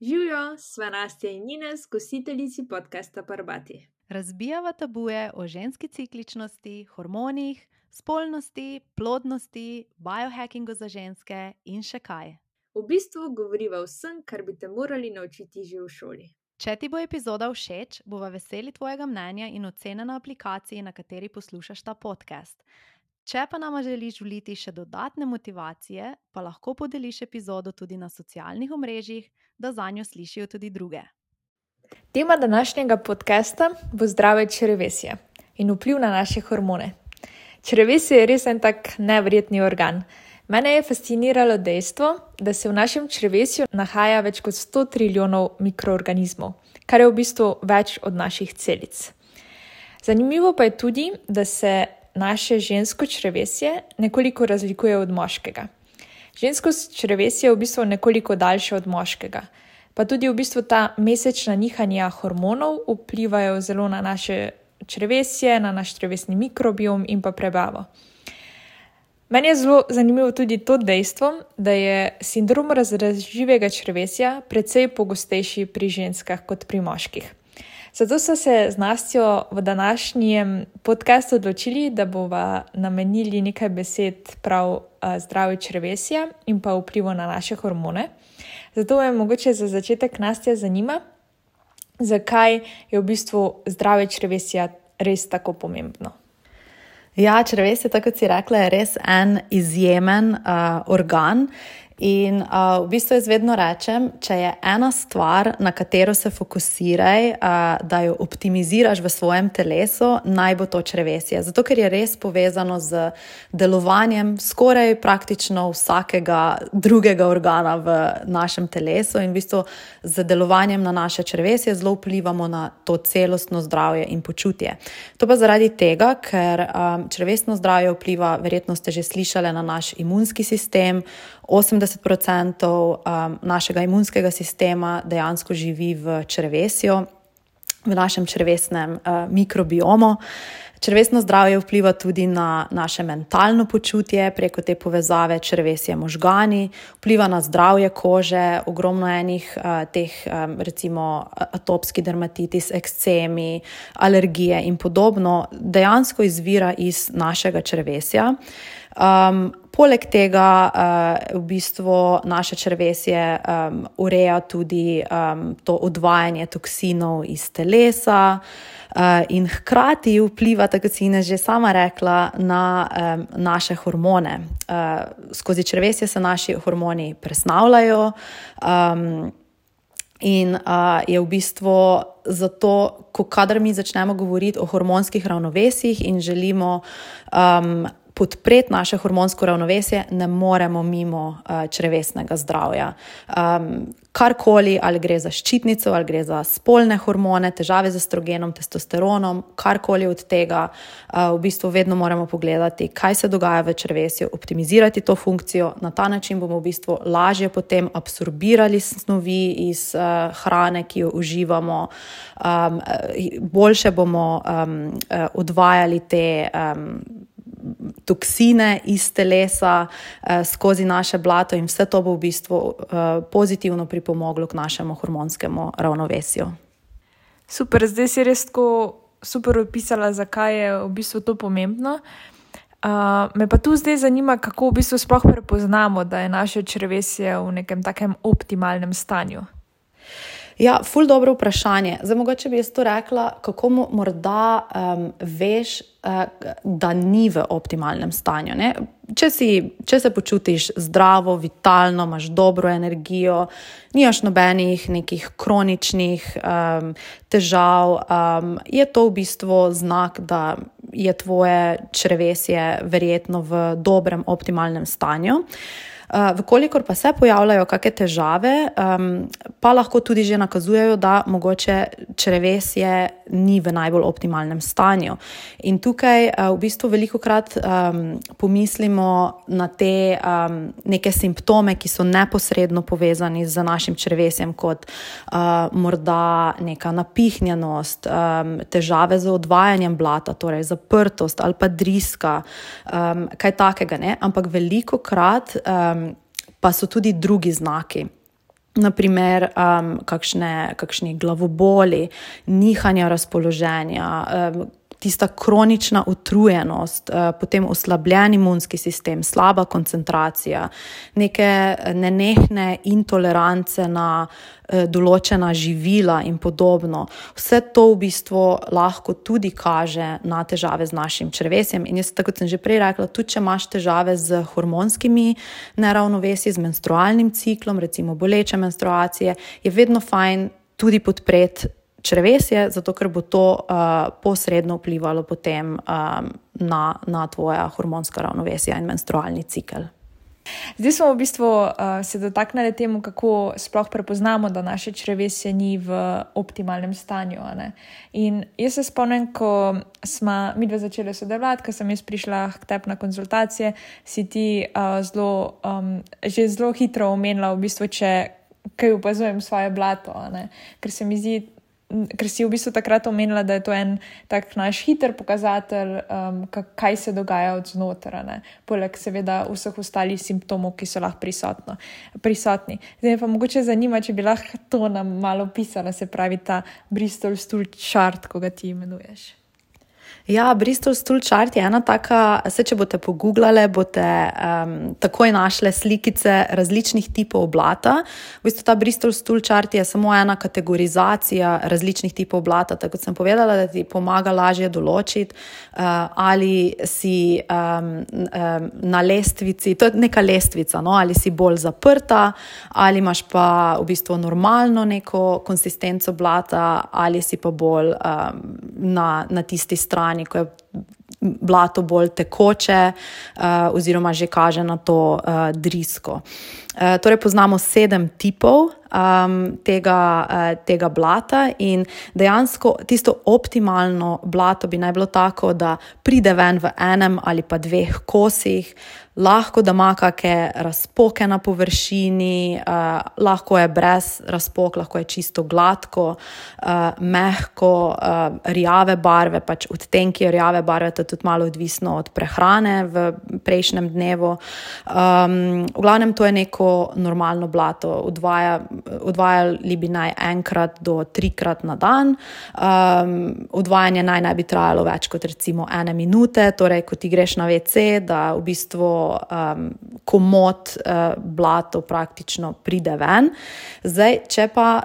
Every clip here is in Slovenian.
Živijo, sva Nastja in Ines, gostiteljici podcasta Parbati. Razbijava tabuje o ženski cikličnosti, hormonih, spolnosti, plodnosti, biohackingu za ženske in še kaj. V bistvu govoriva o vsem, kar bi te morali naučiti že v šoli. Če ti bo epizoda všeč, bova veseli tvojega mnenja in ocene na aplikaciji, na kateri poslušaš ta podcast. Če pa nama želiš vliti še dodatne motivacije, pa lahko podeliš epizodo tudi na socialnih omrežjih, da zanjo slišijo tudi druge. Tema današnjega podcasta bo zdrave črevesje in vpliv na naše hormone. Črevesje je res en tak neverjetni organ. Mene je fasciniralo dejstvo, da se v našem črevesju nahaja več kot 100 trilijonov mikroorganizmov, kar je v bistvu več od naših celic. Zanimivo pa je tudi, da se naše žensko črevesje nekoliko razlikuje od moškega. Žensko črevesje je v bistvu nekoliko daljše od moškega, pa tudi v bistvu ta mesečna nihanja hormonov vplivajo zelo na naše črevesje, na naš črevesni mikrobiom in pa prebavo. Meni je zelo zanimivo tudi to dejstvo, da je sindrom razdražljivega črevesja precej pogostejši pri ženskah kot pri moških. Zato so se z Nastjo v današnjem podcastu odločili, da bova namenili nekaj besed prav zdravju črevesja in pa vplivu na naše hormone. Zato me mogoče za začetek Nastja zanima, zakaj je v bistvu zdravje črevesja res tako pomembno. Ja, črevesje, tako kot si rekla, je res en izjemen organ. In v bistvu jaz vedno rečem, če je ena stvar, na katero se fokusiraj, da jo optimiziraš v svojem telesu, naj bo to črevesje. Zato, ker je res povezano z delovanjem skoraj praktično vsakega drugega organa v našem telesu in v bistvu z delovanjem na naše črevesje zelo vplivamo na to celostno zdravje in počutje. To pa zaradi tega, ker črevesno zdravje vpliva, verjetno ste že slišali, na naš imunski sistem. 80% našega imunskega sistema dejansko živi v črevesju, v našem črevesnem mikrobiomu. Črevesno zdravje vpliva tudi na naše mentalno počutje preko te povezave črevesje možgani, vpliva na zdravje kože, ogromno enih teh recimo atopski dermatitis, ekcemi, alergije in podobno dejansko izvira iz našega črevesja. Poleg tega v bistvu naše črevesje ureja tudi to odvajanje toksinov iz telesa in hkrati vpliva, tako si Ines že sama rekla, na naše hormone. Skozi črevesje se naši hormoni presnavljajo in je v bistvu zato, kadar mi začnemo govoriti o hormonskih ravnovesjih in želimo podpreti naše hormonsko ravnovesje, ne moremo mimo črevesnega zdravja. Karkoli, ali gre za ščitnico, ali gre za spolne hormone, težave z estrogenom, testosteronom, karkoli od tega, v bistvu vedno moramo pogledati, kaj se dogaja v črevesju, optimizirati to funkcijo. Na ta način bomo v bistvu lažje potem absorbirali snovi iz hrane, ki jo uživamo, boljše bomo odvajali te toksine iz telesa skozi naše blato in vse to bo v bistvu pozitivno pripomoglo k našemu hormonskemu ravnovesju. Super, zdaj si res tako super opisala, zakaj je v bistvu to pomembno. Me pa tu zdaj zanima, kako v bistvu sploh prepoznamo, da je naše črevesje v nekem takem optimalnem stanju. Ja, ful dobro vprašanje. Zdaj mogoče bi jaz to rekla, kako morda veš, da ni v optimalnem stanju. Ne? Če se počutiš zdravo, vitalno, imaš dobro energijo, nimaš nobenih nekih kroničnih težav, je to v bistvu znak, da je tvoje črevesje verjetno v dobrem optimalnem stanju. Vkolikor pa se pojavljajo kakšne težave, pa lahko tudi že nakazujejo, da mogoče črevesje ni v najbolj optimalnem stanju. In tukaj v bistvu velikokrat pomislimo na te neke simptome, ki so neposredno povezani z našim črevesjem, kot morda neka napihnjenost, težave z odvajanjem blata, torej zaprtost ali pa driska, kaj takega, ne? Ampak velikokrat pa so tudi drugi znaki. naprimer kakšni glavoboli, nihanja razpoloženja, tista kronična utrujenost, potem oslabljen imunski sistem, slaba koncentracija, neke nenehne intolerance na določena živila in podobno. Vse to v bistvu lahko tudi kaže na težave z našim črevesjem. In jaz, tako kot sem že prej rekla, tudi če imaš težave z hormonskimi neravnovesji, z menstrualnim ciklom, recimo boleče menstruacije, je vedno fajn tudi podpreti črevesje, zato ker bo to posredno vplivalo potem na tvoja hormonska ravnovesja in menstrualni cikel. Zdaj smo v bistvu se dotaknili temu, kako sploh prepoznamo, da naše črevesje ni v optimalnem stanju. Ne? In jaz se spomnim, ko smo midve začeli sodelovati, ko sem jaz prišla k tebi na konzultacije, si ti že zelo hitro omenila, v bistvu, če kaj opazujem svoje blato. Ne? Ker si v bistvu takrat omenila, da je to en tak naš hiter pokazatelj, kaj se dogaja od znotraj, poleg seveda vseh ostalih simptomov, ki so lahko prisotni. Zdaj me pa mogoče zanima, če bi lahko to nam malo pisala, se pravi ta Bristol stool chart, ko ga ti imenuješ. Ja, Bristol stool chart je ena taka, če boste pogooglale, boste takoj našle slikice različnih tipov blata. V bistvu ta Bristol stool chart je samo ena kategorizacija različnih tipov blata, tako kot sem povedala, da ti pomaga lažje določiti, ali si na lestvici, to je neka lestvica, no? Ali si bolj zaprta, ali imaš pa v bistvu normalno neko konsistenco blata, ali si pa bolj na tisti strani, ko je blato bolj tekoče oziroma že kaže na to drisko. Torej poznamo 7 tipov tega blata in dejansko tisto optimalno blato bi naj bilo tako, da pride ven v enem ali pa 2 kosih, lahko da ima kakšne razpoke na površini, lahko je brez razpok, lahko je čisto gladko, mehko, rjave barve, pač odtenki rjave barve, to je tudi malo odvisno od prehrane v prejšnjem dnevu. V glavnem to je neko normalno blato, odvajali bi naj 1 do 3 na dan. Odvajanje naj bi trajalo več kot recimo 1 minute, torej ko ti greš na WC, da v bistvu komot blato praktično pride ven. Zdaj, če pa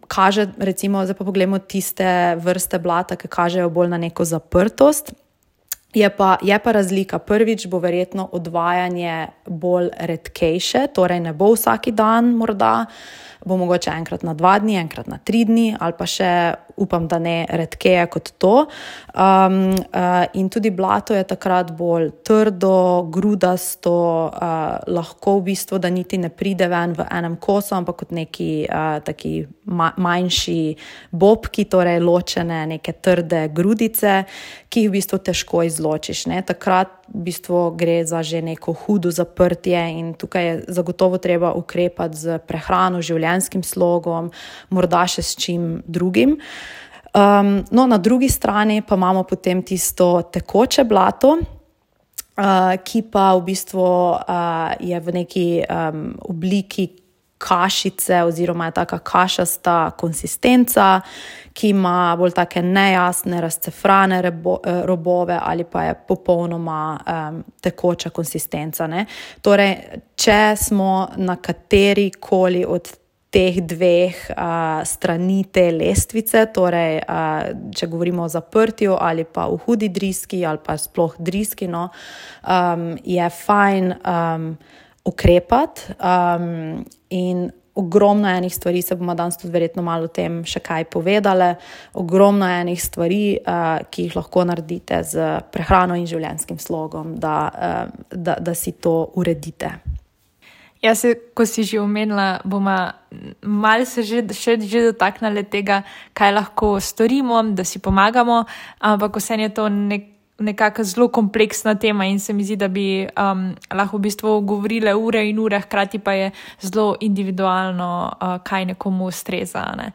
kaže, recimo, zdaj pa pogledamo tiste vrste blata, ki kažejo bolj na neko zaprtost, je pa razlika. Prvič bo verjetno odvajanje bolj redkejše, torej ne bo vsaki dan morda, bo mogoče 1 na 2 dni, 1 na 3 dni ali pa še upam, da ne redkeje kot to. In tudi blato je takrat bolj trdo, grudasto, lahko v bistvu, da niti ne pride ven v enem kosu, ampak kot neki taki manjši bobki, torej ločene neke trde grudice, ki jih v bistvu težko izločiš. Ne? Takrat v bistvu gre za že neko hudo zaprtje in tukaj je zagotovo treba ukrepati z prehrano, življenjskim slogom, morda še s čim drugim. No, na drugi strani pa imamo potem tisto tekoče blato, ki pa v bistvu je v neki obliki kašice oziroma je taka kašasta konsistenca, ki ima bolj take nejasne, razcefrane robove ali pa je popolnoma tekoča konsistenca. Ne? Torej, če smo na katerikoli od teh 2 strani te lestvice, torej če govorimo o zaprtju ali pa v hudi driski ali pa sploh driski, no, je fajn ukrepati in ogromno enih stvari, se bomo danes tudi verjetno malo o tem še kaj povedale, ogromno enih stvari, ki jih lahko naredite z prehrano in življenjskim slogom, da si to uredite. Ja, ko si že omenila, bomo malo se že dotaknili tega, kaj lahko storimo, da si pomagamo, ampak vseeno je to nekako zelo kompleksna tema in se mi zdi, da bi lahko v bistvu govorile ure in ure, hkrati pa je zelo individualno, kaj nekomu ustreza. Ne?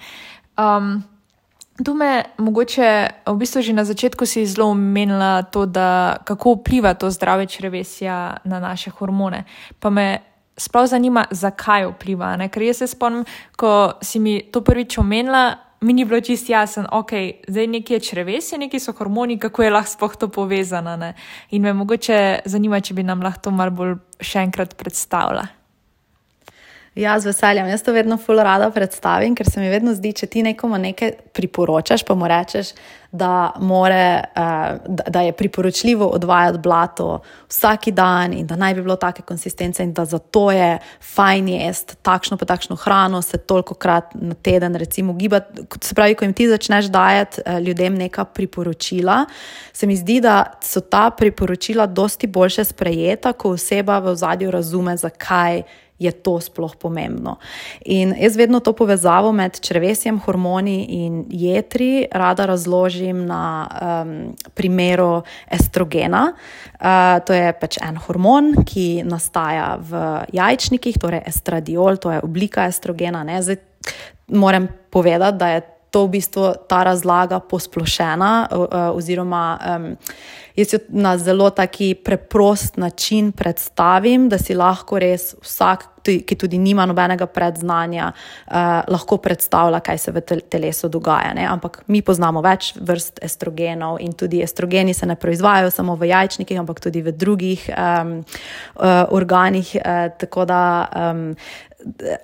Tu me mogoče, v bistvu že na začetku si zelo omenila to, da kako vpliva to zdrave črevesja na naše hormone. Pa me sploh zanima, zakaj vpliva. Ne? Ker jaz se spomnim, ko si mi to prvič omenila, mi ni bilo čisto jasno, zdaj nekaj je črevesje, nekaj so hormoni, kako je lahko sploh to povezano. Ne? In me mogoče zanima, če bi nam lahko to malo bolj še enkrat predstavila. Ja, z veseljem. Jaz to vedno ful rada predstavim, ker se mi vedno zdi, če ti nekomu nekaj priporočaš, pa mu rečeš, da je priporočljivo odvajati blato vsak dan in da naj bi bilo take konsistence in da zato je fajn jesti takšno pa takšno hrano, se tolikokrat na teden recimo gibati. Se pravi, ko jim ti začneš dajati ljudem neka priporočila, se mi zdi, da so ta priporočila dosti boljše sprejeta, ko oseba v ozadju razume, zakaj je to sploh pomembno. In jaz vedno to povezavo med črevesjem, hormoni in jetri rada razložim na primeru estrogena. To je pač en hormon, ki nastaja v jajčnikih, torej estradiol, to je oblika estrogena. Ne? Zdaj moram povedati, da je to v bistvu ta razlaga posplošena oziroma jaz jo na zelo taki preprost način predstavim, da si lahko res vsak, ki tudi nima nobenega predznanja, lahko predstavlja, kaj se v telesu dogaja. Ne? Ampak mi poznamo več vrst estrogenov in tudi estrogeni se ne proizvajajo samo v jajčnikih, ampak tudi v drugih organih, tako da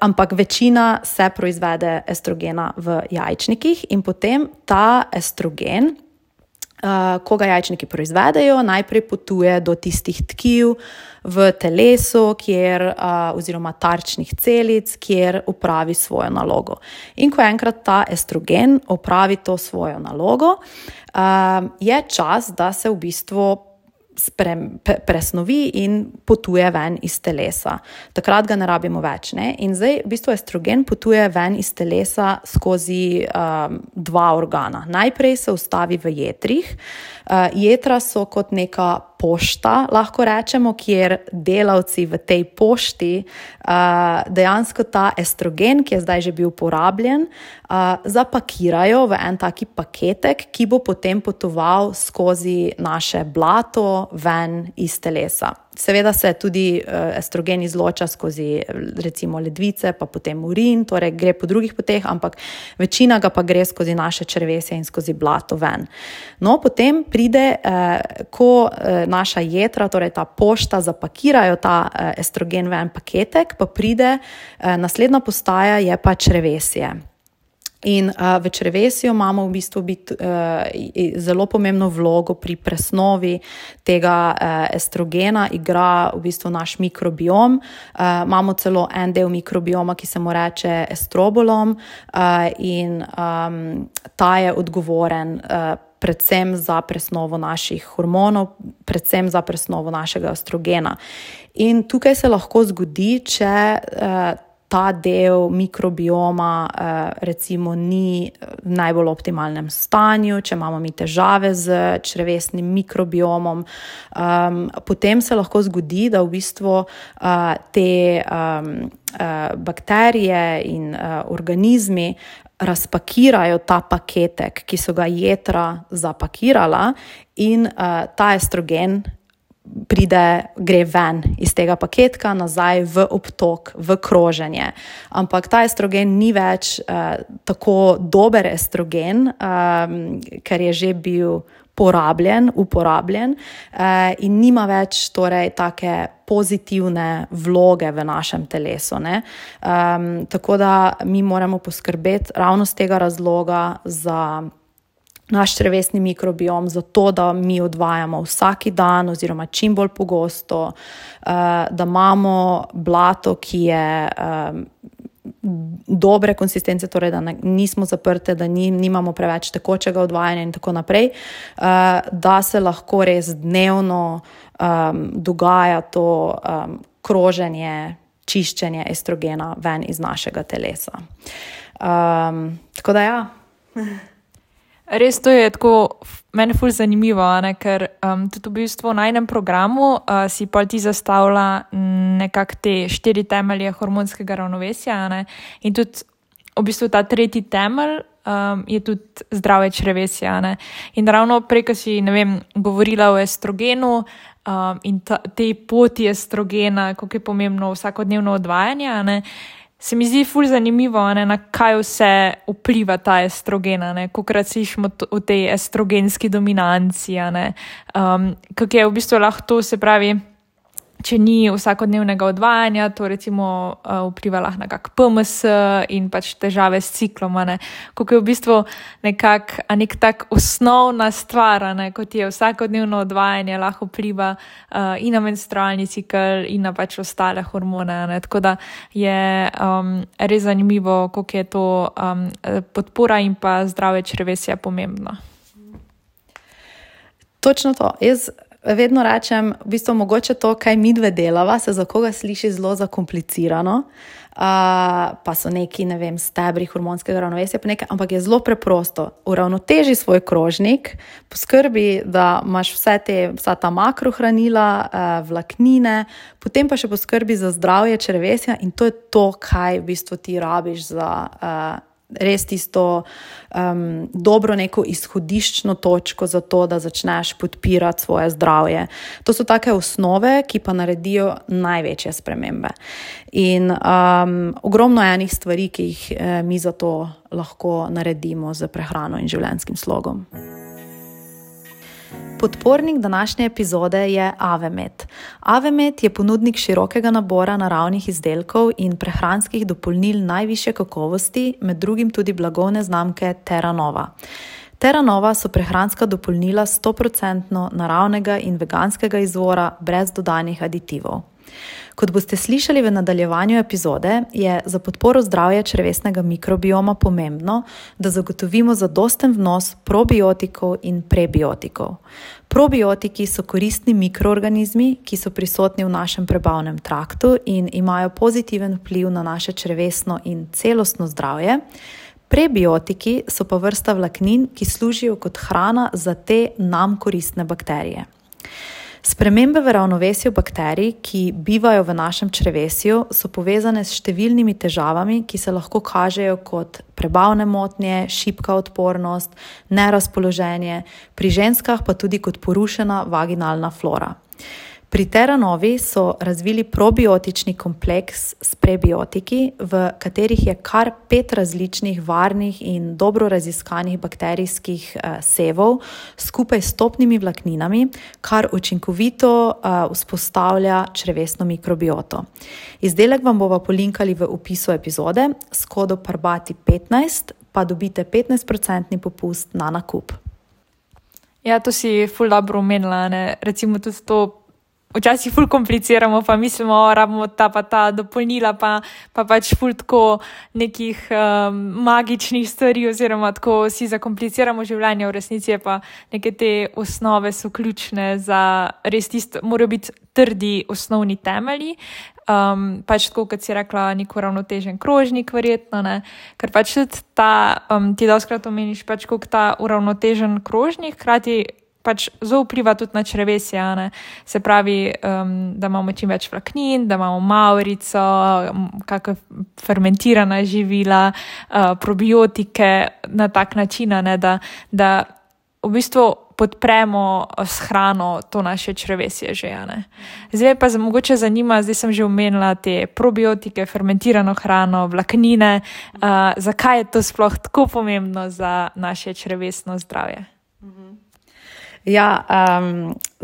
ampak večina se proizvede estrogena v jajčnikih in potem ta estrogen, ko ga jajčniki proizvedejo, najprej potuje do tistih tkiv v telesu, oziroma tarčnih celic, kjer opravi svojo nalogo. In ko enkrat ta estrogen opravi to svojo nalogo, je čas, da se v bistvu presnovi in potuje ven iz telesa. Takrat ga ne rabimo več. Ne? In zdaj v bistvu estrogen potuje ven iz telesa skozi dva organa. Najprej se ustavi v jetrih. Jetra so kot neka pošta, lahko rečemo, kjer delavci v tej pošti dejansko ta estrogen, ki je zdaj že bil porabljen, zapakirajo v en taki paketek, ki bo potem potoval skozi naše blato ven iz telesa. Seveda se tudi estrogen izloča skozi recimo ledvice, pa potem urin, torej gre po drugih poteh, ampak večina ga pa gre skozi naše črevesje in skozi blato ven. No, potem pride, ko naša jetra, torej ta pošta, zapakirajo ta estrogen v en paketek, pa pride, naslednja postaja je pa črevesje. In v črevesju imamo v bistvu zelo pomembno vlogo pri presnovi tega estrogena, igra v bistvu naš mikrobiom. Imamo celo en del mikrobioma, ki se mu reče estrobolom in ta je odgovoren predvsem za presnovo naših hormonov, predvsem za presnovo našega estrogena. In tukaj se lahko zgodi, če ta del mikrobioma recimo ni v najbolj optimalnem stanju, če imamo mi težave z črevesnim mikrobiomom, potem se lahko zgodi, da v bistvu te bakterije in organizmi razpakirajo ta paketek, ki so ga jetra zapakirala in ta estrogen gre ven iz tega paketka nazaj v obtok, v kroženje. Ampak ta estrogen ni več tako dober estrogen, ker je že bil uporabljen in nima več torej take pozitivne vloge v našem telesu. Ne? Tako da mi moramo poskrbeti ravno z tega razloga za naš črevesni mikrobiom, zato da mi odvajamo vsaki dan oziroma čim bolj pogosto, da imamo blato, ki je dobre konsistence, torej da nismo zaprte, da nimamo preveč tekočega odvajanja in tako naprej, da se lahko res dnevno dogaja to kroženje, čiščenje estrogena ven iz našega telesa. Tako da ja. Res to je tako meni ful zanimivo, ne? Ker tudi v bistvu na enem programu si pa ti zastavlja nekako te 4 temelje hormonskega ravnovesja, ne? In tudi v bistvu ta tretji temelj je tudi zdravje črevesja. Ne? In ravno prej, ko si, govorila o estrogenu in tej poti estrogena, kako je pomembno vsakodnevno odvajanje, ne? Se mi zdi ful zanimivo, na kaj vse vpliva ta estrogen, kolikokrat slišimo o tej estrogenski dominanci, kako je v bistvu lahko to, se pravi, če ni vsakodnevnega odvajanja, to recimo vpliva lahko na kak PMS in pač težave s ciklom, koliko je v bistvu nek tak osnovna stvar, kot je vsakodnevno odvajanje, lahko vpliva in na menstrualni cikl in na pač ostale hormone, tako da je res zanimivo, koliko je to podpora in pa zdravje črevesja pomembno. Točno to. Jaz vedno rečem, v bistvu mogoče to, kaj midve delava, se za koga sliši zelo zakomplicirano, pa so neki, stebri hormonskega ravnovesja, ampak je zelo preprosto. Uravnoteži svoj krožnik, poskrbi, da imaš vsa ta makrohranila, vlaknine, potem pa še poskrbi za zdravje črevesja in to je to, kaj v bistvu ti rabiš za res tisto dobro neko izhodiščno točko za to, da začneš podpirati svoje zdravje. To so take osnove, ki pa naredijo največje spremembe. In ogromno enih stvari, ki jih mi za to lahko naredimo z prehrano in življenjskim slogom. Podpornik današnje epizode je Avemed. Avemed je ponudnik širokega nabora naravnih izdelkov in prehranskih dopolnil najvišje kakovosti, med drugim tudi blagovne znamke Terra Nova. Terra Nova so prehranska dopolnila 100% naravnega in veganskega izvora brez dodanih aditivov. Kot boste slišali v nadaljevanju epizode, je za podporo zdravja črevesnega mikrobioma pomembno, da zagotovimo zadosten vnos probiotikov in prebiotikov. Probiotiki so koristni mikroorganizmi, ki so prisotni v našem prebavnem traktu in imajo pozitiven vpliv na naše črevesno in celostno zdravje. Prebiotiki so pa vrsta vlaknin, ki služijo kot hrana za te nam koristne bakterije. Spremembe v ravnovesju bakterij, ki bivajo v našem črevesju, so povezane s številnimi težavami, ki se lahko kažejo kot prebavne motnje, šibka odpornost, nerazpoloženje, pri ženskah pa tudi kot porušena vaginalna flora. Pri Terra Novi so razvili probiotični kompleks s prebiotiki, v katerih je kar 5 različnih varnih in dobro raziskanih bakterijskih sevov skupaj s topnimi vlakninami, kar učinkovito vzpostavlja črevesno mikrobioto. Izdelek vam bova polinkali v opisu epizode, s kodo PARBATI15 pa dobite 15% popust na nakup. Ja, to si ful dobro omenila, recimo tudi to. Včasih ful kompliciramo, pa mislimo, rabimo ta dopolnila, pa pač ful tako nekih magičnih stvari oziroma tako si zakompliciramo življenje, v resnici je pa neke te osnove so ključne za res tisto, morajo biti trdi osnovni temelji, pač tako, kot si rekla, nek uravnotežen krožnik verjetno, ker pač tudi ti dostikrat omeniš pač koliko ta uravnotežen krožnik, hkrati pač zelo vpliva tudi na črevesje, se pravi, da imamo čim več vlaknin, da imamo mavrico, kakšna fermentirana živila, probiotike na tak način, da v bistvu podpremo s hrano to naše črevesje že. Zdaj pa mogoče zanima, zdaj sem že omenila te probiotike, fermentirano hrano, vlaknine, zakaj je to sploh tako pomembno za naše črevesno zdravje? Ja,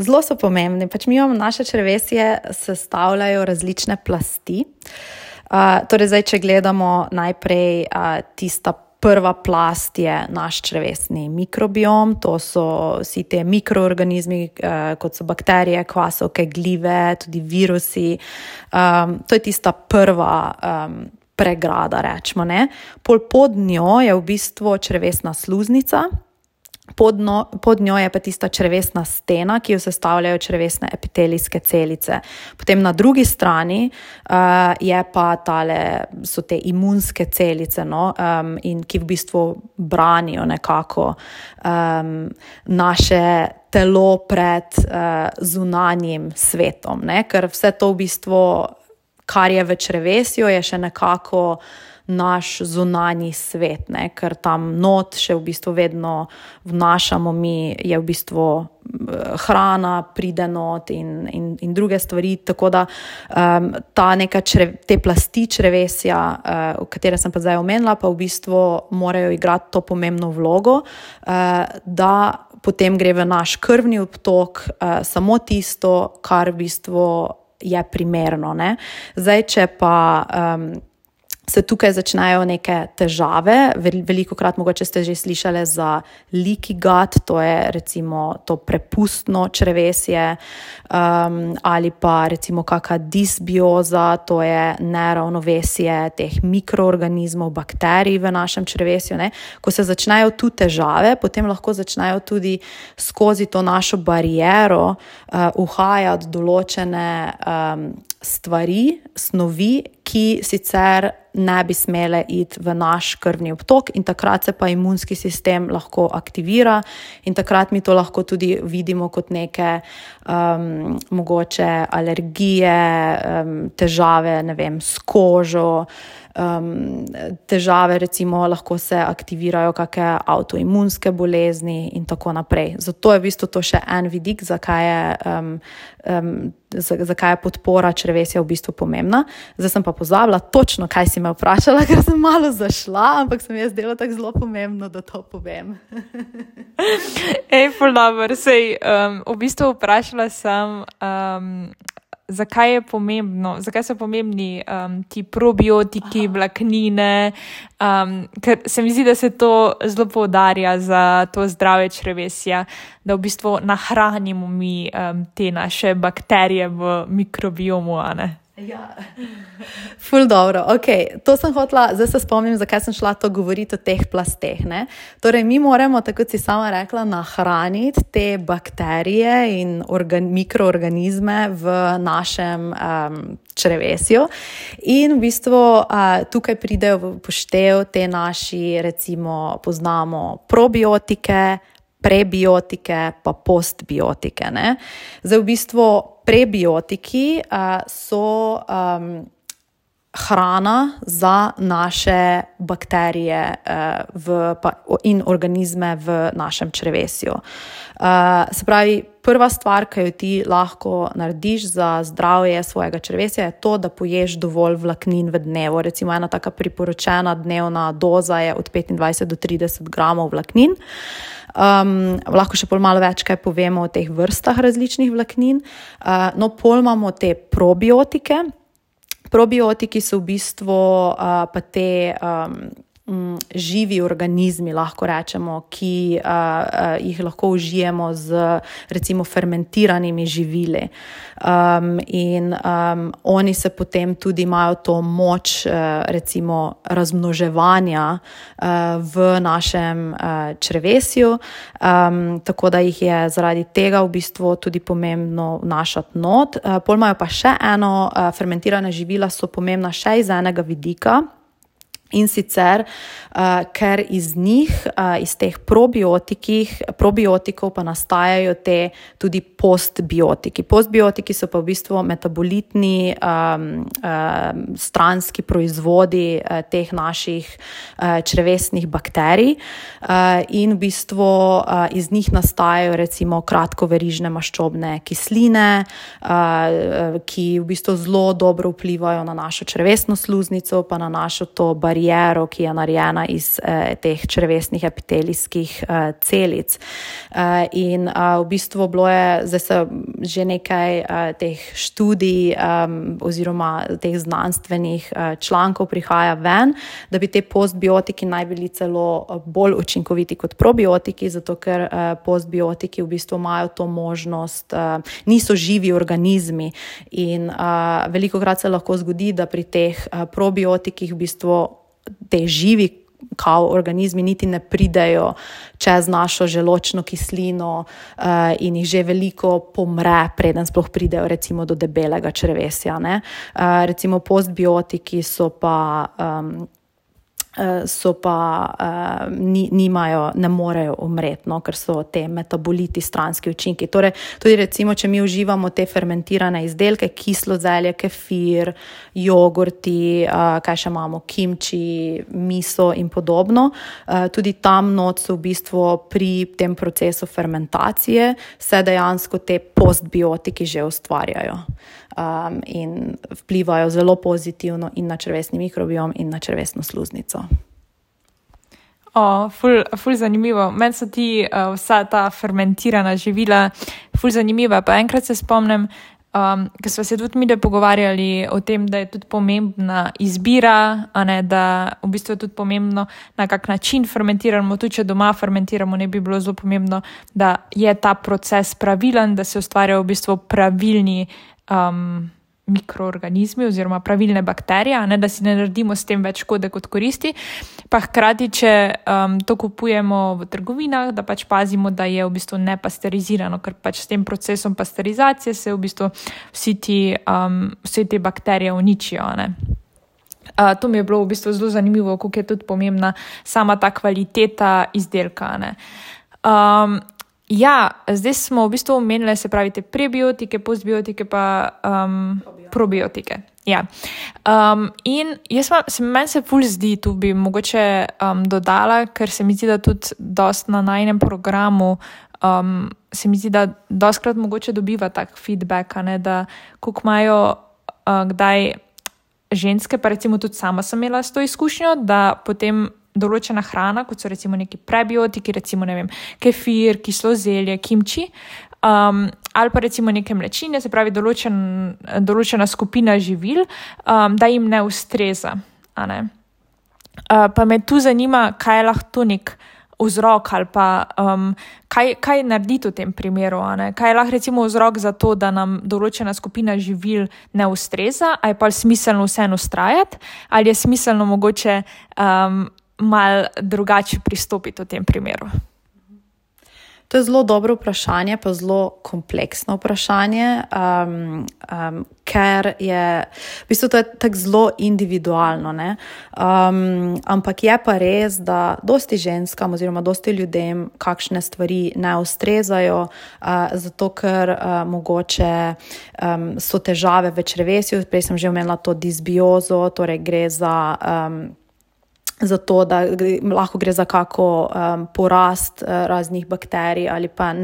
zelo so pomembni. Pač mi imamo naše črevesje sestavljajo različne plasti. Torej zdaj, če gledamo najprej tista prva plast je naš črevesni mikrobiom, to so vsi te mikroorganizmi, kot so bakterije, kvasovke, glive, tudi virusi. To je tista prva pregrada, rečemo, Pol pod njo je v bistvu črevesna sluznica. Pod njo je pa tista črevesna stena, ki jo sestavljajo črevesne epitelijske celice. Potem na drugi strani je pa so te imunske celice, in ki v bistvu branijo nekako naše telo pred zunanjim svetom, ker vse to v bistvu, kar je v črevesju, je še nekako naš zunanji svet, ne? Ker tam not še v bistvu vedno vnašamo mi, je v bistvu hrana, pride not in druge stvari, tako da ta neka te plasti črevesja, katere sem pa zdaj omenila, pa v bistvu morajo igrati to pomembno vlogo, da potem gre v naš krvni obtok samo tisto, kar v bistvu je primerno, ne. Zdaj, če pa se tukaj začnejo neke težave, velikokrat mogoče ste že slišali za leaky gut, to je recimo to prepustno črevesje, ali pa recimo kakšna disbioza, to je neravnovesje teh mikroorganizmov, bakterij v našem črevesju, ne. Ko se začnejo tu težave, potem lahko začnejo tudi skozi to našo bariero uhajati določene stvari, snovi, ki sicer ne bi smele iti v naš krvni obtok in takrat se pa imunski sistem lahko aktivira in takrat mi to lahko tudi vidimo kot neke mogoče alergije, težave, ne vem, s kožo, težave recimo lahko se aktivirajo kakšne avtoimunske bolezni in tako naprej. Zato je v bistvu to še en vidik, zakaj je podpora črevesja v bistvu pomembna. Zdaj sem pa pozabila točno, kaj si me vprašala, ker sem malo zašla, ampak se mi je zdelo tako zelo pomembno, da to povem. Ful dobro, v bistvu vprašala sem, zakaj so pomembni ti probiotiki, vlaknine, ker se mi zdi, da se to zelo poudarja za to zdrave črevesja, da v bistvu nahranimo mi te naše bakterije v mikrobiomu, a ne? Ja, ful dobro, to sem hotela, zdaj se spomnim, zakaj sem šla to govoriti o teh plasteh, ne. Torej, mi moramo, tako kot si sama rekla, nahraniti te bakterije in mikroorganizme v našem črevesju in v bistvu tukaj pridejo v poštev te naši, recimo, poznamo probiotike, prebiotike pa postbiotike, ne. Zdaj v bistvu prebiotiki so hrana za naše bakterije in organizme v našem črevesju. Se pravi, prva stvar, ki jo ti lahko narediš za zdravje svojega črevesja, je to, da poješ dovolj vlaknin v dnevu. Recimo ena taka priporočena dnevna doza je od 25 do 30 gramov vlaknin. Lahko še pol malo več kaj povemo o teh vrstah različnih vlaknin. No, pol imamo te probiotike. Probiotiki so v bistvu pa te živi organizmi, lahko rečemo, ki jih lahko užijemo z recimo fermentiranimi živili. In oni se potem tudi imajo to moč recimo razmnoževanja v našem črevesju, tako da jih je zaradi tega v bistvu tudi pomembno vnašati not. Pol imajo pa še eno, fermentirana živila so pomembna še iz enega vidika. In sicer, ker iz njih, iz teh probiotikov pa nastajajo te tudi postbiotiki. Postbiotiki so pa v bistvu metabolitni stranski proizvodi teh naših črevesnih bakterij in v bistvu iz njih nastajajo recimo kratkoverižne maščobne kisline, ki v bistvu zelo dobro vplivajo na našo črevesno sluznico pa na našo to bariero, ki je narejena iz teh črevesnih epitelijskih celic. In v bistvu bilo je, zdaj se že nekaj teh študij oziroma teh znanstvenih člankov prihaja ven, da bi te postbiotiki naj bili celo bolj učinkoviti kot probiotiki, zato ker postbiotiki v bistvu imajo to možnost, niso živi organizmi in velikokrat se lahko zgodi, da pri teh probiotikih v bistvu te živi organizmi niti ne pridejo čez našo želočno kislino in jih že veliko pomre, preden sploh pridejo recimo do debelega črevesja, ne. Recimo postbiotiki so pa so pa ne morejo umreti, no, ker so te metaboliti, stranski učinki. Torej, tudi recimo, če mi uživamo te fermentirane izdelke, kislo zelje, kefir, jogurti, kaj še imamo, kimči, miso in podobno, tudi tam not so v bistvu pri tem procesu fermentacije se dejansko te postbiotiki že ustvarjajo. In vplivajo zelo pozitivno in na črevesni mikrobiom in na črevesno sluznico. Ful zanimivo. Meni so vsa ta fermentirana živila ful zanimiva. Pa enkrat se spomnim, ker smo se tudi mi pogovarjali o tem, da je tudi pomembna izbira, da v bistvu je tudi pomembno, na kak način fermentiramo. Tudi če doma fermentiramo, ne bi bilo zelo pomembno, da je ta proces pravilen, da se ustvarjajo v bistvu pravilni mikroorganizmi oziroma pravilne bakterije, da si ne naredimo s tem več škode kot koristi. Pa hkrati, če to kupujemo v trgovinah, da pač pazimo, da je v bistvu nepasterizirano, ker pač s tem procesom pasterizacije se v bistvu vse te bakterije uničijo. To mi je bilo v bistvu zelo zanimivo, koliko je tudi pomembna sama ta kvaliteta izdelka. Zdaj smo v bistvu omenili, se pravi, te prebiotike, postbiotike pa probiotike. In meni se ful zdi, tu bi mogoče dodala, ker se mi zdi, da tudi dost na najnem programu se mi zdi, da dostkrat mogoče dobiva tak feedback, da koliko imajo kdaj ženske, pa recimo tudi sama sem imela s to izkušnjo, da potem določena hrana, kot so recimo neki prebiotiki, recimo, ne vem, kefir, kislo zelje, kimči, ali pa recimo neke mlečine, se pravi določena skupina živil, da jim ne ustreza. Pa me tu zanima, kaj je lahko nek vzrok ali pa kaj narediti v tem primeru. Kaj je lahko recimo vzrok za to, da nam določena skupina živil ne ustreza, ali je pa smiselno vseeno vztrajati, ali je smiselno mogoče malo drugače pristopiti v tem primeru? To je zelo dobro vprašanje, pa zelo kompleksno vprašanje, ker je, v bistvu to je tako zelo individualno, ampak je pa res, da dosti ženskam oziroma dosti ljudem kakšne stvari ne ustrezajo, zato ker mogoče so težave v črevesju, prej sem že omenila to disbiozo, torej gre za to, da lahko gre za kako porast raznih bakterij ali pa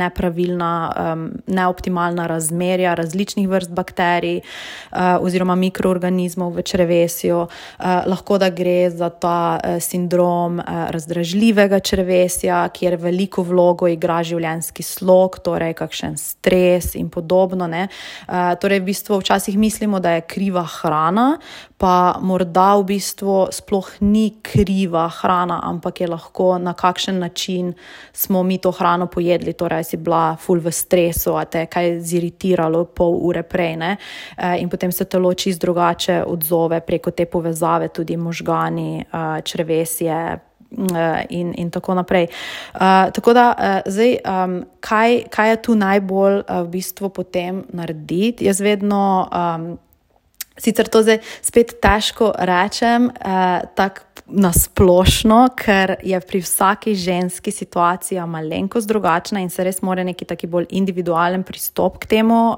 neoptimalna razmerja različnih vrst bakterij oziroma mikroorganizmov v črevesju. Lahko da gre za ta sindrom razdražljivega črevesja, kjer veliko vlogo igra življenjski slog, torej kakšen stres in podobno. Torej v bistvu včasih mislimo, da je kriva hrana, pa morda v bistvu sploh ni kriva hrana, ampak je lahko na kakšen način smo mi to hrano pojedli, torej si bila ful v stresu, a te kaj ziritiralo pol ure prej, in potem se telo čisto drugače odzove preko te povezave, tudi možgani, črevesje in tako naprej. Tako da zdaj, kaj je tu najbolj v bistvu potem narediti? Jaz vedno sicer to zdaj spet težko rečem, tako nasplošno, ker je pri vsaki ženski situacija malenkost drugačna in se res mora neki taki bolj individualen pristop k temu,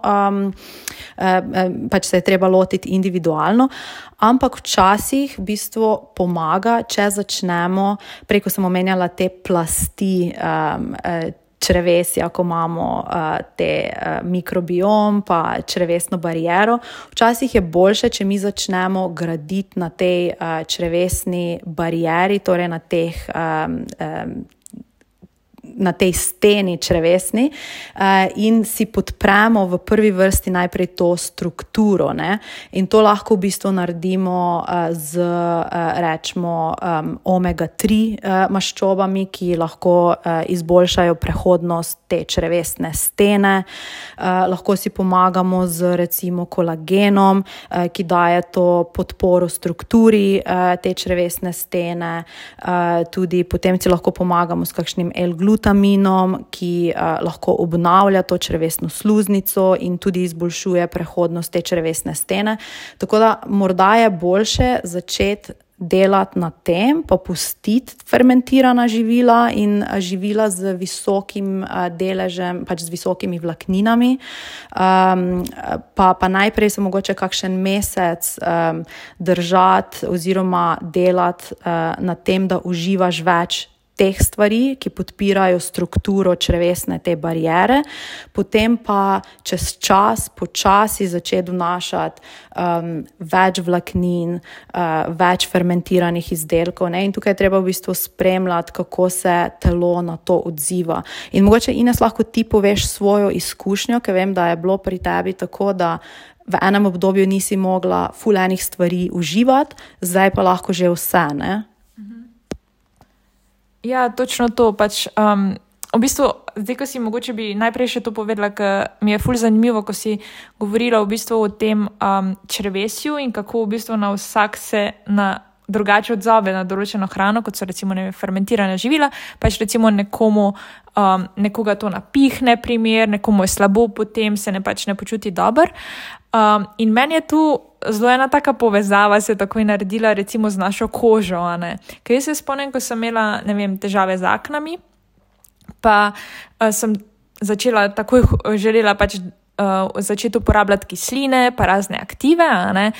pač se je treba lotiti individualno, ampak včasih v bistvu pomaga, če začnemo, preko sem omenjala te plasti črevesja, ko imamo te mikrobiom pa črevesno bariero. Včasih je boljše, če mi začnemo graditi na tej črevesni barieri, torej na tej steni črevesni, in si podpremo v prvi vrsti najprej to strukturo. In to lahko v bistvu naredimo z, rečemo, omega-3 maščobami, ki lahko izboljšajo prehodnost te črevesne stene. Lahko si pomagamo z recimo kolagenom, ki daje to podporo strukturi te črevesne stene. Tudi potem si lahko pomagamo s kakšnim L-glutaminom, ki lahko obnavlja to črevesno sluznico in tudi izboljšuje prehodnost te črevesne stene. Tako da morda je boljše začeti delati na tem, popustiti fermentirana živila in živila z visokim deležem, pač z visokimi vlakninami. Pa najprej se mogoče kakšen mesec držati oziroma delati na tem, da uživaš več teh stvari, ki podpirajo strukturo črevesne te bariere, potem pa čez čas počasi začeti vnašati več vlaknin, več fermentiranih izdelkov, ne? In tukaj je treba v bistvu spremljati, kako se telo na to odziva. In mogoče, Ines, lahko ti poveš svojo izkušnjo, ker vem, da je bilo pri tebi tako, da v enem obdobju nisi mogla ful enih stvari uživati, zdaj pa lahko že vse, ne? Ja, točno to. Pač, v bistvu, zdaj, ko si mogoče bi najprej še to povedala, ker mi je ful zanimivo, ko si govorila v bistvu o tem črevesju in kako v bistvu na vsak se na drugače odzove na določeno hrano, kot so recimo fermentirana živila, pač recimo nekoga to napihne primer, nekomu je slabo, potem se pač ne počuti dober. In meni je tu zelo ena taka povezava se takoj naredila recimo z našo kožo, ne. Ker jaz se spomnim, ko sem imela, težave z aknami, pa sem želela pač začeti uporabljati kisline, pa razne aktive, ne.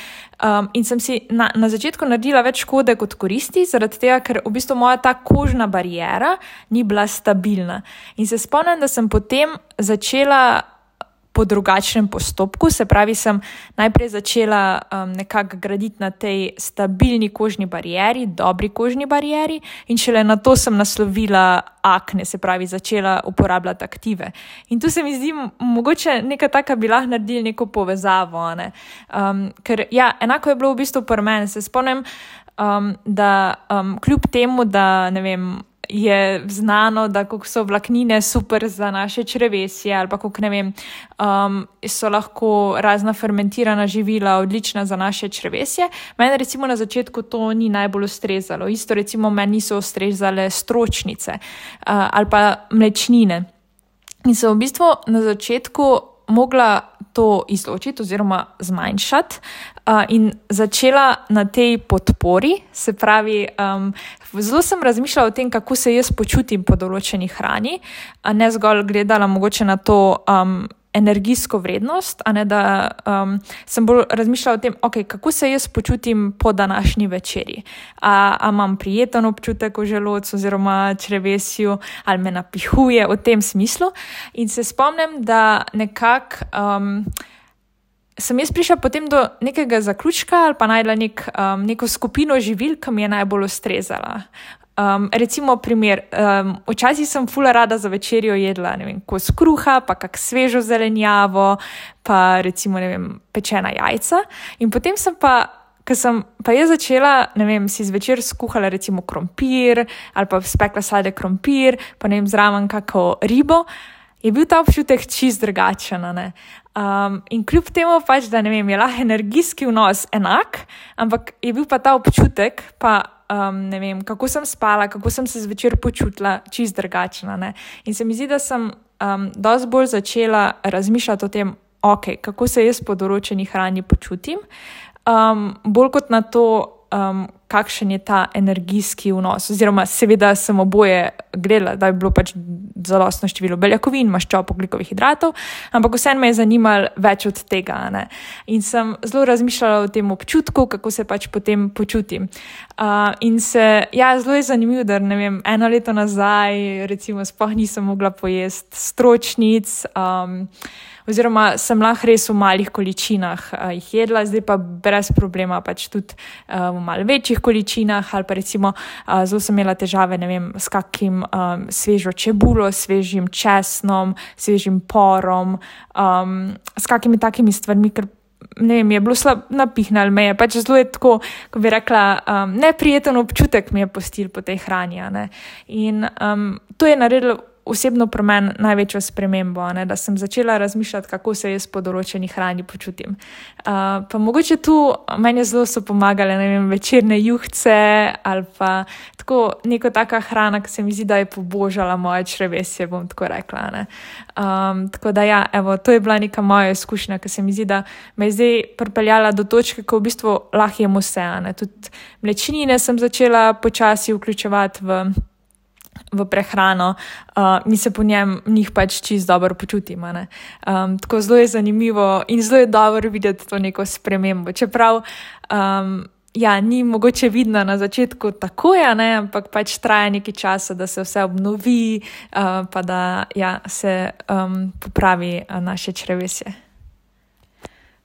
In sem si na začetku naredila več škode kot koristi, zaradi tega, ker v bistvu moja ta kožna bariera ni bila stabilna. In se spomnim, da sem potem začela po drugačnem postopku, se pravi, sem najprej začela nekako graditi na tej stabilni kožni barieri, dobri kožni barieri, in šele na to sem naslovila akne, se pravi, začela uporabljati aktive. In tu se mi zdi, mogoče neka taka bi lahko naredili neko povezavo, ne? Ker ja, enako je bilo v bistvu pri meni. Se spomnim, da kljub temu, da je znano, da kako so vlaknine super za naše črevesje ali pa kako so lahko razna fermentirana živila odlična za naše črevesje. Meni recimo na začetku to ni najbolj ustrezalo. Isto recimo meni niso ustrezale stročnice ali pa mlečnine. In sem v bistvu na začetku mogla to izločiti oziroma zmanjšati in začela na tej podpori, se pravi, zelo sem razmišljala o tem, kako se jaz počutim po določeni hrani, ne zgolj gledala mogoče na to energijsko vrednost, a ne da sem bolj razmišljala o tem, kako se jaz počutim po današnji večerji. A imam prijeten občutek v želodcu oziroma črevesju, ali me napihuje v tem smislu. In se spomnim, da nekako sem jaz prišla potem do nekega zaključka ali pa najdla neko skupino živil, ki mi je najbolj ustrezala. Recimo primer, včasih sem ful rada za večerjo jedla, kos kruha, pa kak svežo zelenjavo, pa recimo, pečena jajca. In potem sem ko sem pa jaz začela, si zvečer skuhala recimo krompir, ali pa spekla sladek krompir, pa zraven kako ribo, je bil ta občutek čist drugačen, ne. In kljub temu pač, da je lahko energijski vnos enak, ampak je bil pa ta občutek, pa kako sem spala, kako sem se zvečer počutila, čist drugačna, ne. In se mi zdi, da sem dosti bolj začela razmišljati o tem, kako se jaz po določeni hrani počutim, bolj kot na to, kakšen je ta energijski vnos. Oziroma, seveda sem oboje gledala, da bi bilo pač zadostno število beljakovin, maščob, ogljikovih hidratov, ampak vseeno me je zanimalo več od tega, ne. In sem zelo razmišljala o tem občutku, kako se pač potem počutim. In zelo je zanimivo, da 1 leto nazaj recimo sploh nisem mogla pojesti stročnic, oziroma sem lahko res v malih količinah jih jedla, zdaj pa brez problema pač tudi v malo večjih količinah, ali pa recimo zelo sem imela težave, s kakim svežo čebulo, svežim česnom, svežim porom, s kakimi takimi stvarmi, ker je bilo slab napihnal me je, pač zelo je tako, ko bi rekla, neprijeten občutek mi je pustil po tej hrani, ne. In to je naredilo osebno pri meni največjo spremembo, ne, da sem začela razmišljati, kako se jaz po določeni hrani počutim. Pa mogoče tu meni zelo so pomagale, ne vem, večerne juhce ali pa tako neko taka hrana, ki se mi zdi, da je pobožala moje črevesje, bom tako rekla. Ne. Tako da ja, evo, to je bila neka moja izkušnja, ki se mi zdi, da me je zdaj pripeljala do točke, ko v bistvu lahko jem vse. Ne. Tudi mlečnine sem začela počasi vključevati v prehrano in se po njih pač čisto dobro počutim. Tako zelo je zanimivo in zelo je dobro videti to neko spremembo. Čeprav ni mogoče vidno na začetku takoj, ampak pač traja nekaj časa, da se vse obnovi, pa da se popravi naše črevesje.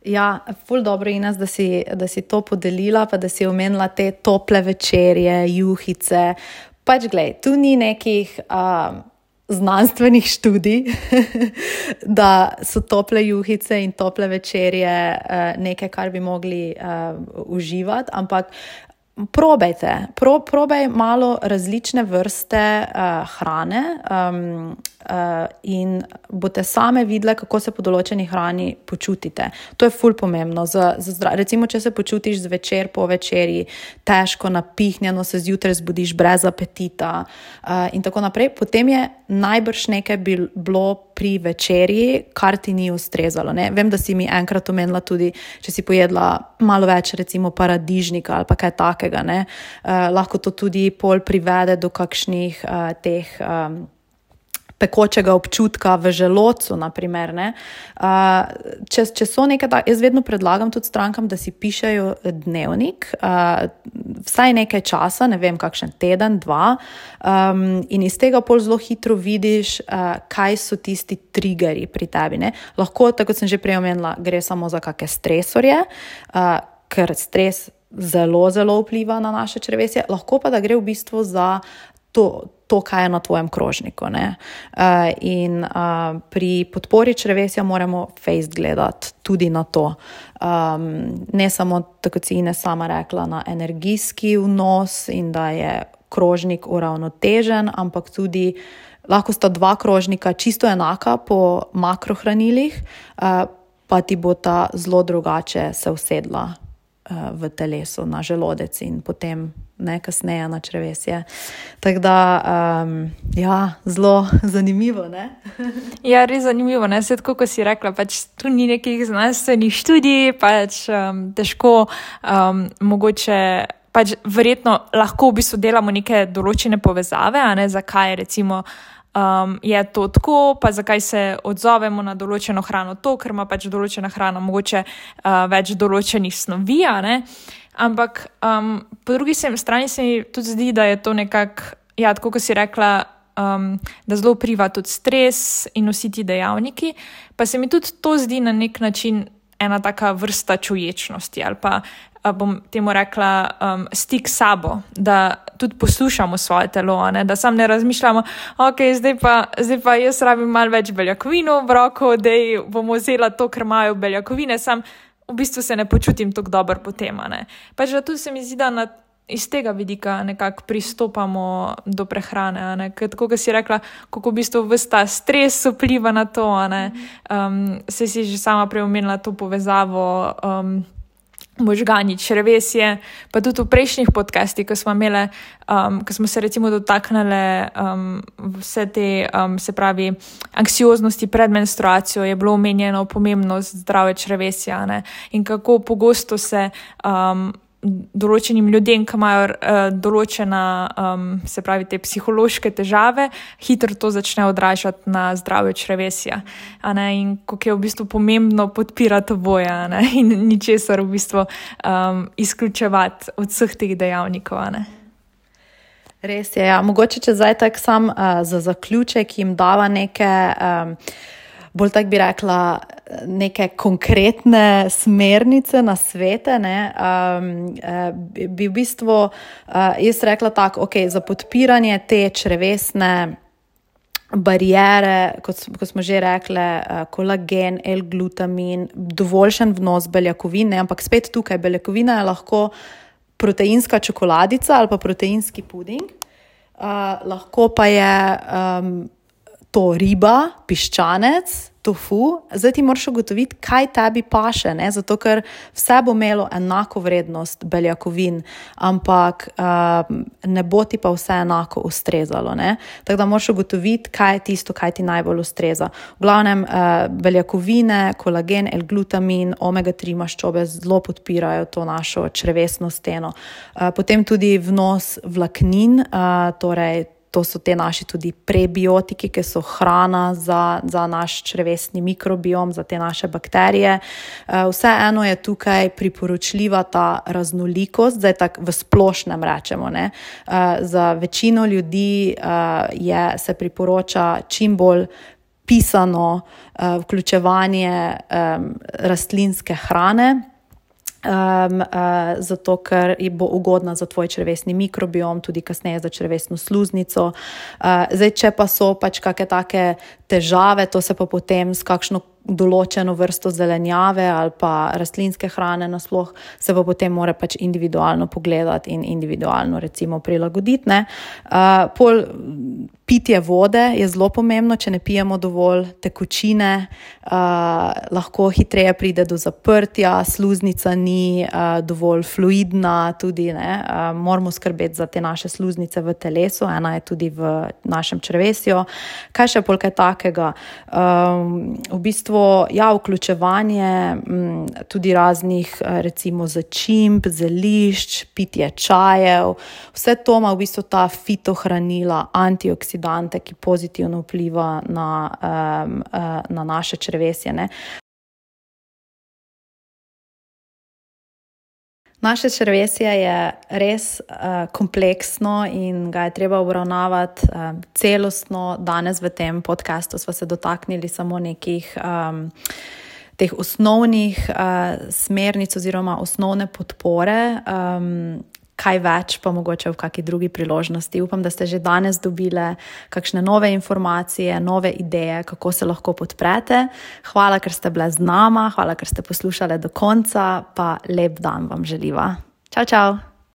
Ja, ful dobro, Ines, da si to podelila, pa da si omenila te tople večerje, juhice. Pač glej, tu ni nekih znanstvenih študij, da so tople juhice in tople večerje nekaj, kar bi mogli uživati, ampak probaj malo različne vrste hrane in boste same videle, kako se po določeni hrani počutite. To je ful pomembno. Recimo, če se počutiš zvečer po večerji težko, napihnjeno, se zjutraj zbudiš brez apetita in tako naprej, potem je najbrž nekaj bilo pri večerji, kar ti ni ustrezalo. Ne? Vem, da si mi enkrat omenila tudi, če si pojedla malo več recimo paradižnika ali pa kaj takega. Lahko to tudi pol privede do kakšnih teh pekočega občutka v želodcu, naprimer. Če so nekaj, jaz vedno predlagam tudi strankam, da si pišejo dnevnik, vsaj nekaj časa, ne vem, kakšen teden, 2, in iz tega pol zelo hitro vidiš, kaj so tisti triggerji pri tebi. Ne? Lahko, tako kot sem že prej omenila, gre samo za kakšne stresorje, ker stres zelo, zelo vpliva na naše črevesje, lahko pa da gre v bistvu za to, kaj je na tvojem krožniku. In pri podpori črevesja moramo fejst gledati tudi na to. Ne samo, tako si Ines sama rekla, na energijski vnos in da je krožnik uravnotežen, ampak tudi lahko sta 2 krožnika čisto enaka po makrohranilih, pa ti bo ta zelo drugače se usedla v telesu, na želodec in potem kasneje na črevesje. Tako da, zelo zanimivo, ne? Ja, res zanimivo, ne? Vse tako, ko si rekla, pač tu ni nekih znanstvenih študij, pač težko, mogoče, pač verjetno lahko v bistvu delamo neke določene povezave, zakaj recimo je to tako, pa zakaj se odzovemo na določeno hrano to, ker ima pač določena hrana mogoče več določenih snovi, ampak po drugi strani se mi tudi zdi, da je to nekako, tako kot si rekla, da zelo vpliva tudi stres in vsi ti dejavniki, pa se mi tudi to zdi na nek način ena taka vrsta čuječnosti ali pa bom temu rekla stik s sabo, da tudi poslušamo svoje telo, da sam ne razmišljamo, zdaj pa jaz rabim malo več beljakovin v obroku, da bomo vzela to, ker imajo beljakovine, sam v bistvu se ne počutim tako dobro potem. Pač da tudi se mi zdi, da iz tega vidika nekako pristopamo do prehrane, ker tako, kot si rekla, kako v bistvu ves ta stres vpliva na to, se si že sama preomenila to povezavo možgani, črevesje, pa tudi v prejšnjih podcastih, ko smo imeli, ko smo se recimo dotaknili vse te, se pravi, anksioznosti pred menstruacijo, je bilo omenjeno pomembnost zdrave črevesja, in kako pogosto se določenim ljudem, ki imajo določena, se pravi, te psihološke težave, hitro to začne odražati na zdravje črevesja. In kako je v bistvu pomembno podpirati oboje, in ničesar v bistvu izključevati od vseh teh dejavnikov. Res je, ja. Mogoče če zdaj tak sam za zaključek jim dava neke bolj tak bi rekla, neke konkretne smernice na svete, bi v bistvu jaz rekla tako, za podpiranje te črevesne barijere, kot smo že rekli, kolagen, L-glutamin, dovoljšen vnos beljakovin, ampak spet tukaj beljakovina je lahko proteinska čokoladica ali pa proteinski puding, lahko pa je to riba, piščanec, tofu, zdaj ti moraš ugotoviti, kaj tebi paše, ne? Zato ker vse bo imelo enako vrednost beljakovin, ampak ne bo ti pa vse enako ustrezalo. Ne? Tako da moraš ugotoviti, kaj je tisto, kaj ti najbolj ustreza. V glavnem beljakovine, kolagen, L-glutamin, omega-3 maščobe zelo podpirajo to našo črevesno steno. Potem tudi vnos vlaknin, torej to so te naši tudi prebiotiki, ki so hrana za naš črevesni mikrobiom, za te naše bakterije. Vseeno je tukaj priporočljiva ta raznolikost, zdaj tako v splošnem rečemo. Ne? Za večino ljudi se priporoča čim bolj pisano vključevanje rastlinske hrane, zato ker bo ugodna za tvoj črevesni mikrobiom, tudi kasneje za črevesno sluznico. Zdaj, če pa so pač kakšne take težave, to se pa potem s kakšno določeno vrsto zelenjave ali pa rastlinske hrane nasploh se pa potem mora pač individualno pogledati in individualno recimo prilagoditi. Pol pitje vode je zelo pomembno, če ne pijemo dovolj tekočine, lahko hitreje pride do zaprtja, sluznica ni dovolj fluidna tudi, ne, moramo skrbeti za te naše sluznice v telesu, ena je tudi v našem črevesju. Kaj še pol kaj takega? V bistvu vključevanje tudi raznih recimo začimb, zelišč, pitje čajev, vse to ima v bistvu ta fitohranila, antioksidante, ki pozitivno vpliva na naše črevesje. Ne? Naše črevesje je res kompleksno in ga je treba obravnavati celostno. Danes v tem podcastu sva se dotaknili samo nekih teh osnovnih smernic oziroma osnovne podpore. Kaj več pa mogoče v kakšni drugi priložnosti. Upam, da ste že danes dobile kakšne nove informacije, nove ideje, kako se lahko podprete. Hvala, ker ste bile z nama, hvala, ker ste poslušale do konca, pa lep dan vam želiva. Čau, čau!